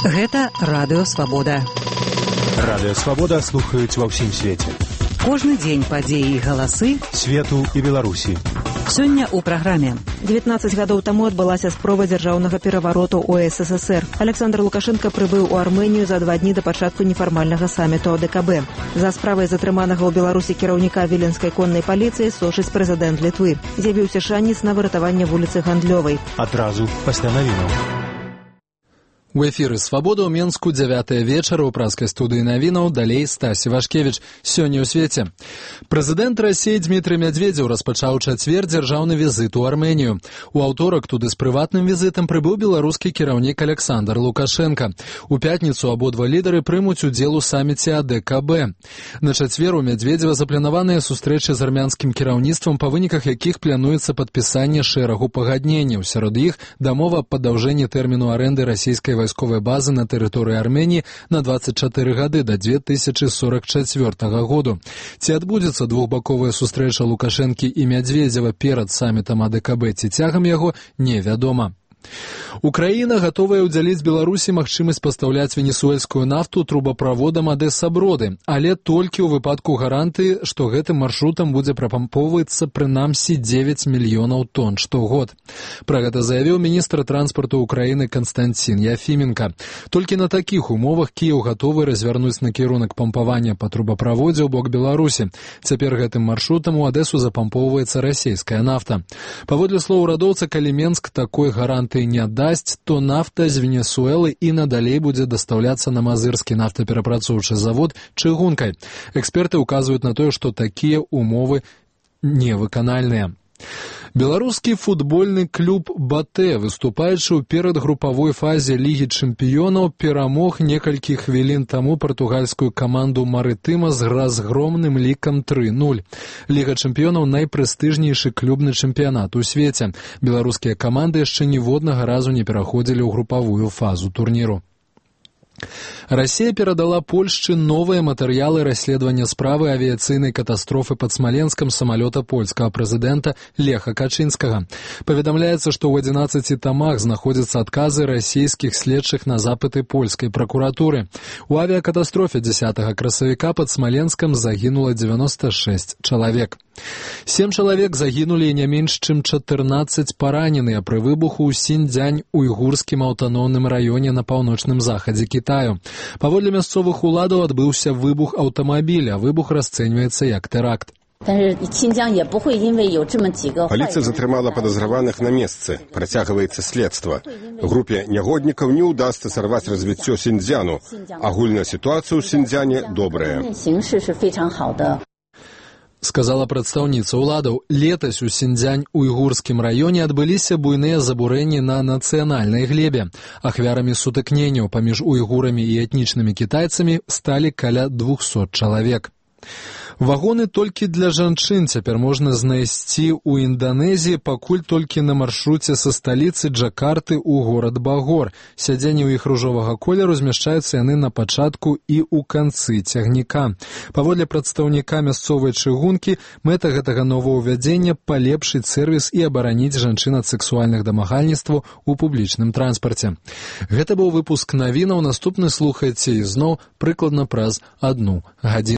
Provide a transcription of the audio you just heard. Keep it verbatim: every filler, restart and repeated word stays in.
Гэта Радыё Свабода. Радыё Свабода слухаюць ва ўсім свеце. Кожны дзень падзеі і галасы свету і Беларусі. Сёння ў праграме. дзевятнаццаць гадоў таму адбылася спроба дзяржаўнага перавароту ў эс эс эс эр. Александр Лукашенко прыбыў у Армэнію за два дні да пачатку нефармальнага саміту а дэ ка бэ. За справай затрыманага ў Беларусі кіраўніка віленскай коннай паліцыі сочыць прэзідэнт Літвы. З'явіўся шанец на выратаванне вуліцы Гандлёвай. Адразу пасля навінаў. У эфіры «Свабода» ў Менску дзявятая вечара ў праскай студыі навінаў, далей Стась Івашкевіч. Сёння ў свеце. Прэзідэнт Расіі Дмітрый Мядзведзеў распачаў чацвер дзяржаўны візіт у Арменію. У аўторак туды з прыватным візітам прыбыў беларускі кіраўнік Александр Лукашенко. У пятніцу абодва лідары прымуць удзел у саміце а дэ ка бэ. На чацвер у Мядзведзева запланаваныя сустрэчы з армянскім кіраўніцтвам, па выніках якіх плануецца падпісанне шэрагу пагадненняў. Сярод іх дамова аб падаўжэнні тэрміну арэнды расійскай вайсковай базы на тэрыторыі Арменіі на дваццаць чатыры гады да дзве тысячы сорак чацвёртага году. Ці адбудзецца двухбаковая сустрэча Лукашэнкі і Мядзведзева перад самітам а дэ ка бэ ці цягам яго, невядома. Украіна гатовая ўдзяліць Беларусі магчымасць пастаўляць венесуэльскую нафту трубаправодам Адэса-Броды, але толькі ў выпадку гарантыі, што гэтым маршрутам будзе прапампоўвацца прынамсі дзевяць мільёнаў тонн штогод. Пра гэта заявіў міністр транспарту Украіны Канстанцін Яфіменка. Толькі на такіх умовах Кіеў гатовы развярнуць накірунак пампавання па трубаправодзе ў бок Беларусі. Цяпер гэтым маршрутам у Адэсу запампоўваецца расійская нафта. Паводле слоў урадоўца, калі Менск такой гарантыі не дасць, то нафта з Венесуэлы і надалей будзе дастаўляцца на мазырскі нафтаперапрацоўчы завод чыгункай. Эксперты ўказваюць на тое, што такія умовы невыканальныя. Беларускі футбольны клуб «Батэ», выступаючы ў перадгрупавой фазе Лігі чэмпіёнаў, перамог некалькі хвілін таму партугальскую каманду «Марытыма» з разгромным лікам тры нуль. Ліга чэмпіёнаў – найпрэстыжнейшы клубны чэмпіянат у свеце. Беларускія каманды яшчэ ніводнага разу не пераходзілі ў групавую фазу турніру. Расія перадала Польшчы новыя матэрыялы расследавання справы авіяцыйнай катастрофы пад Смаленскам самалёта польскага прэзідэнта Леха Качынскага. Паведамляецца, што ў адзінаццаці тамах знаходзяцца адказы расійскіх следчых на запыты польскай пракуратуры. У авіякатастрофе дзесятага красавіка пад Смаленскам загінула дзевяноста шэсць чалавек. Сем чалавек загінулі і не менш чым чатырнаццаць параненыя пры выбуху ў Сіньцзянь уйгурскім аўтаномным раёне на паўночным захадзе Кітаю. Паводле мясцовых уладаў адбыўся выбух аўтамабіля, выбух расцэньваецца як тэракт. Паліцыя затрымала падазраваных на месцы. Працягваецца следства. Групе нягоднікаў не ўдасца сарваць развіццё Сіньцзяну. Агульная сітуацыя ў Сіньцзяне добрая. Сказала прадстаўніца ўладаў. Летась у Сіньцзянь-уйгурскім раёне адбыліся буйныя забурэнні на нацыянальнай глебе. Ахвярамі сутыкненняў паміж уйгурамі і этнічнымі кітайцамі сталі каля двухсот чалавек. Вагоны толькі для жанчын цяпер можна знайсці ў Інданезіі, пакуль толькі на маршруце са сталіцы Джакарты ў горад Багор. Сядзенні ў іх ружовага колеру змяшчаюцца яны на пачатку і ў канцы цягніка. Паводле прадстаўніка мясцовай чыгункі, мэта гэтага новаўвядзення – палепшыць сэрвіс і абараніць жанчын ад сексуальных дамагальніцтваў у публічным транспарце. Гэта быў выпуск навінаў. Наступны слухайце ізноў прыкладна праз адну гадзіну.